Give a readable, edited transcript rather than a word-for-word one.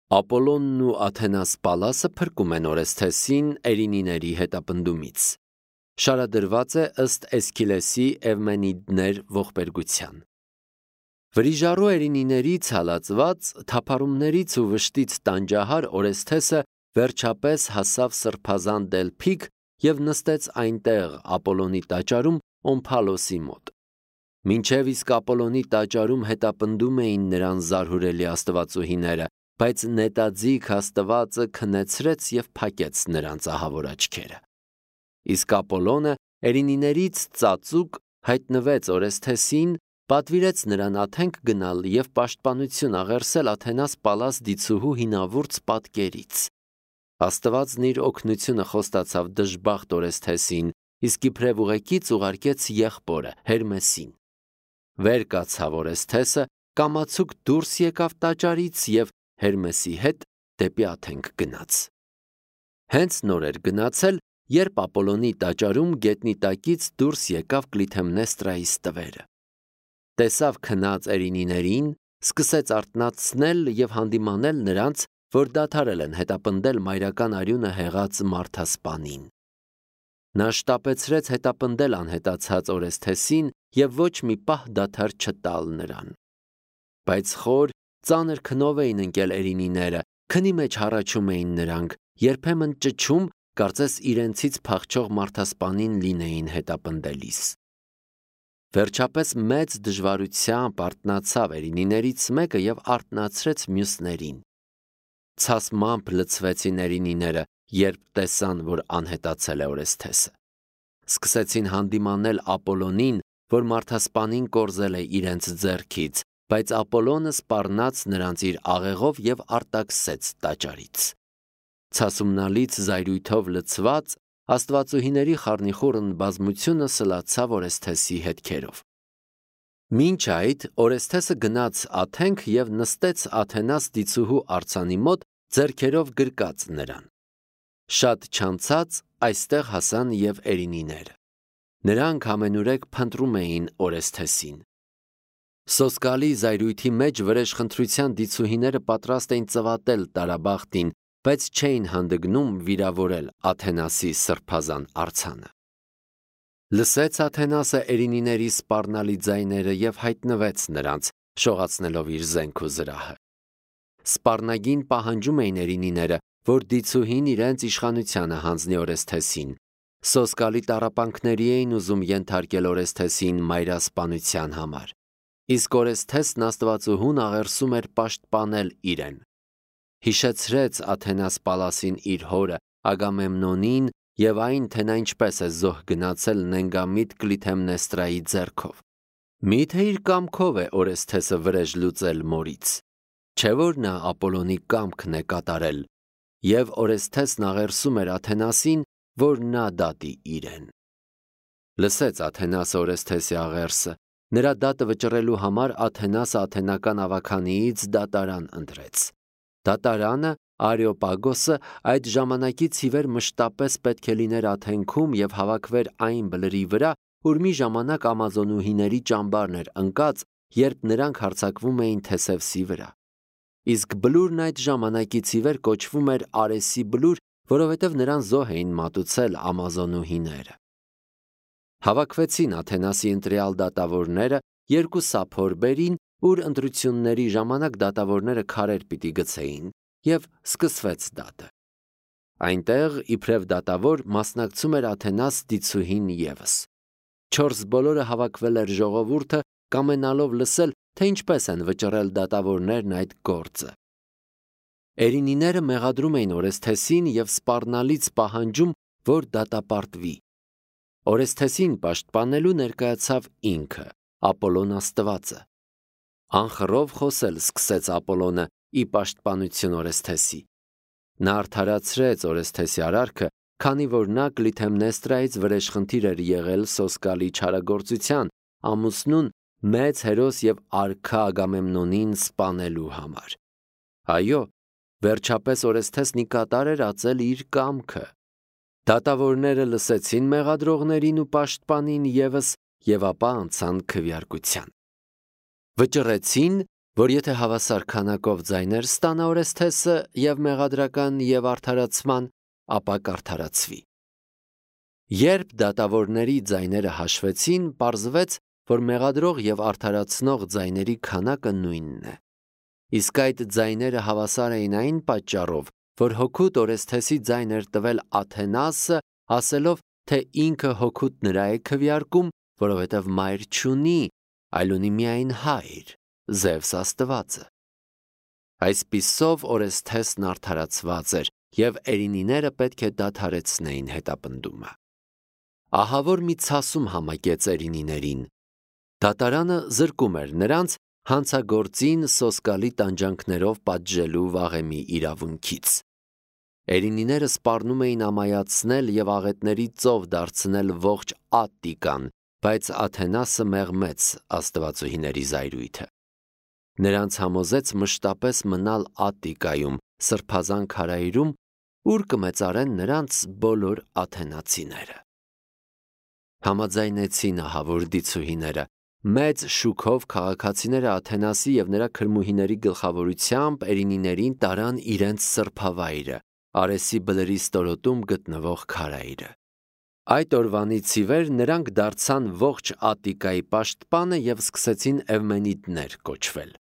Ապոլոնն ու Աթենաս Պալասը փրկում են Օրեսթեսին Էրինիների հետապնդումից։ Շարադրված է ըստ Էսքիլեսի Էվմենիդներ ողբերգության։ Վրիժառու Էրինիներից հալածված թափառումներից ու վշտից տանջահար Օրեսթեսը վերջապես հասավ սրբազան Դելփիկ և նստեց այնտեղ Ապոլոնի տաճարում Օմփալոսի մոտ։ Մինչև իսկ Ապոլոնի տաճարում հետապնդում էին նրան զարհուրելի աստվածուհիները, բայց նետաձիգ Աստվածը քնեցրեց և փակեց նրանց ահավոր աչքերը։ Իսկ Ապոլոնը Էրինիներից ծածուկ հայտնվեց Օրեսթեսին, պատվիրեց նրան աթենք գնալ և պաշտպանություն աղերսել Աթենաս Պալաս դիցուհու հինավուրց պատկերից։ Աստվածն իր օգնությունը խոստացավ դժբախտ Օրեսթեսին, իսկ իբրև ուղեկից ուղարկեց եղբորը Հերմեսին։ Վեր կացավ Օրեսթեսը, կամացուկ դուրս եկավ տաճարից և Հերմեսի հետ դեպի աթենք գնաց։ Հենց նոր էր գնացել, երբ Ապոլոնի տաճարում գետնի տակից դուրս եկավ Կլիթեմնեստրայիս տվերը։ Տեսավ քնած Էրինիներին, սկսեց արթնացնել և հանդիմանել նրանց, որ դադարել են հետապնդել մայրական արյունը հեղած մարդասպանին։ Նա շտապեցրեց հետապնդել անհետացած Օրեսթեսին և ոչ մի պահ դադար չտալ նրան։ Բայց խոր, ծանր քնով էին ընկել Էրինիները, քնի մեջ հառաչում էին նրանք, երբեմն ճչում, կարծես իրենցից փախչող մարդասպանին լինեին հետապնդելիս։ Վերջապես մեծ դժվարությամբ արթնացավ Էրինիներից մեկը և արթնացրեց մյուսներին։ Ցասմամբ լցվեցին Էրինիները, երբ տեսան, որ անհետացել է Օրեսթեսը։ Սկսեցին հանդիմանել Ապոլոնին, որ մարդասպանին կորզել է իրենց ձեռքից, բայց Ապոլոնը սպառնաց նրանց իր աղեղով և արտաքսեց տաճարից։ Ցասումնալից զայրույթով լցված, աստվածուհիների խառնիխուռն բազմությունը սլացավ Օրեսթեսի հետքերով։ Մինչ այդ Օրեսթեսը գնաց աթենք և նստեց Աթենաս դիցուհու արձանի մոտ, ձեռքերով գրկած նրան։ Շատ չանցած այստեղ հասան և Էրինիները։ Նրանք ամենուրեք փնտրում էին Օրեսթեսին։ Սոսկալի զայրույթի մեջ վրեժխնդրության դիցուհիները պատրաստ էին ծվատել տարաբախտին, բայց չէին հանդգնում վիրավորել Աթենասի սրբազան արձանը։ Լսեց Աթենասը Էրինիների սպառնալի ձայները և հայտնվեց նրանց, շողացնելով իր զենք ու զրահը։ Սպառնագին պահանջում էին Էրինիները, որ դիցուհին իրենց իշխանությանը հանձնի Օրեսթեսին։ Սոսկալի տառապանքների էին ուզում ենթարկել Օրեսթեսին մայրասպանության համար։ Իսկ Օրեսթեսն աստվածուհուն աղերսում էր պաշտպանել իրեն։ Հիշեցրեց Աթենաս Պալասին իր հորը Ագամեմնոնին և այն, թե նա ինչպես է զոհ գնացել նենգամիտ Կլիթեմնեստրայի ձեռքով։ Միթե իր կամքով է Օրեսթեսը վրեժ լուծել մորից։ Չէ՞ որ նա Ապոլոնի կամքն է կատարել, և Օրեսթեսն աղերսում էր Աթենասին, որ նա դատի իրեն։ Լսեց Աթենասը Օրեսթեսի աղերսը։ Նրա դատը վճռելու համար Աթենասը աթենական ավագանիից դատարան ընտրեց։ Դատարանը, Արեոպագոսը, այդ ժամանակից ի վեր մշտապես պետք է լիներ աթենքում և հավաքվեր այն բլրի վրա, որ մի ժամանակ ամազոնուհիների ճամբարն էր ընկած, երբ նրանք հարձակվում էին Թեսևսի վրա։ Իսկ բլուրն այդ ժամանակից ի վեր կոչվում էր Արեսի բլուր, որովհետև նրան զոհ էին մատուցել ամազոնուհիները։ Հավաքվեցին Աթենասի ընտրյալ դատավորները երկու սափորբերին, ուր ընտրությունների ժամանակ դատավորները քարեր պիտի գցեին, և սկսվեց դատը։ Այնտեղ իբրև դատավոր մասնակցում էր Աթենաս դիցուհին ևս։ 4 բոլորը հավաքվել էր ժողովուրդը, կամենալով լսել, թե ինչպես են վճռել դատավորներն այդ գործը։ Էրինիները մեղադրում էին Օրեսթեսին և սպառնալից պահանջում, որ դատապարտվի։ Օրեսթեսին պաշտպանելու ներկայացավ ինքը, Ապոլոն աստվածը։ Անխռով խոսել սկսեց Ապոլոնը ի պաշտպանություն Օրեսթեսի։ Նա արդարացրեց Օրեսթեսի արարքը, քանի որ նա Կլիթեմնեստրայից վրեժխնդիր էր եղել սոսկալի չարագործության, ամուսնուն մեծ հերոս և արքա Ագամեմնոնին սպանելու համար։ Այո, վերջապես Օրեսթեսն ի կատար էր ածել իր կամքը։ Դատավորները լսեցին մեղադրողներին ու պաշտպանին ևս և ապա անցան քվեարկության։ Վճռեցին, որ եթե հավասար քանակով ձայներ ստանա Օրեսթեսը եւ մեղադրական եւ արդարացման, ապա կարդարացվի։ Երբ դատավորների ձայները հաշվեցին, պարզվեց, որ մեղադրող եւ արդարացնող ձայների քանակը նույնն է։ Իսկ այդ ձայները հավասար էին այն պատճառով, որ հօգուտ Օրեսթեսի ձայն էր տվել Աթենասը, ասելով, թե ինքը հօգուտ նրա է քվեարկում, որովհետև մայր չունի, այլ ունի միայն հայր, Զևս աստվածը։ Այսպիսով Օրեսթեսն արդարացված էր, եւ Էրինիները պետք է դադարեցնեին հետապնդումը։ Ահա որ մի ցասում համակեց Էրինիներին։ Դատարանը զրկում էր նրանց հանցագործին սոսկալի տանջանքներով պատժելու վաղեմի իրավունքից։ Էրինիները սպառնում էին ամայացնել եւ աղետների ծով դարձնել ողջ Ատտիկան, բայց Աթենասը մեղմեց աստվածուհիների զայրույթը։ Նրանց համոզեց մշտապես մնալ Ատտիկայում, սրբազան քարայրում, ուր կմեծարեն նրանց բոլոր աթենացիները։ Համաձայնեցին ահավոր դիցուհիները, մեծ շուքով քաղաքացիները Աթենասի եւ նրա քրմուհիների գլխավորությամբ Էրինիներին տարան իրենց սրբավայրը, Արեսի բլրի ստորոտում գտնվող քարայրը։ Այդ օրվանից ի վեր նրանք դարձան ողջ Ատտիկայի պաշտպանը եւ սկսեցին Էվմենիդներ կոչվել։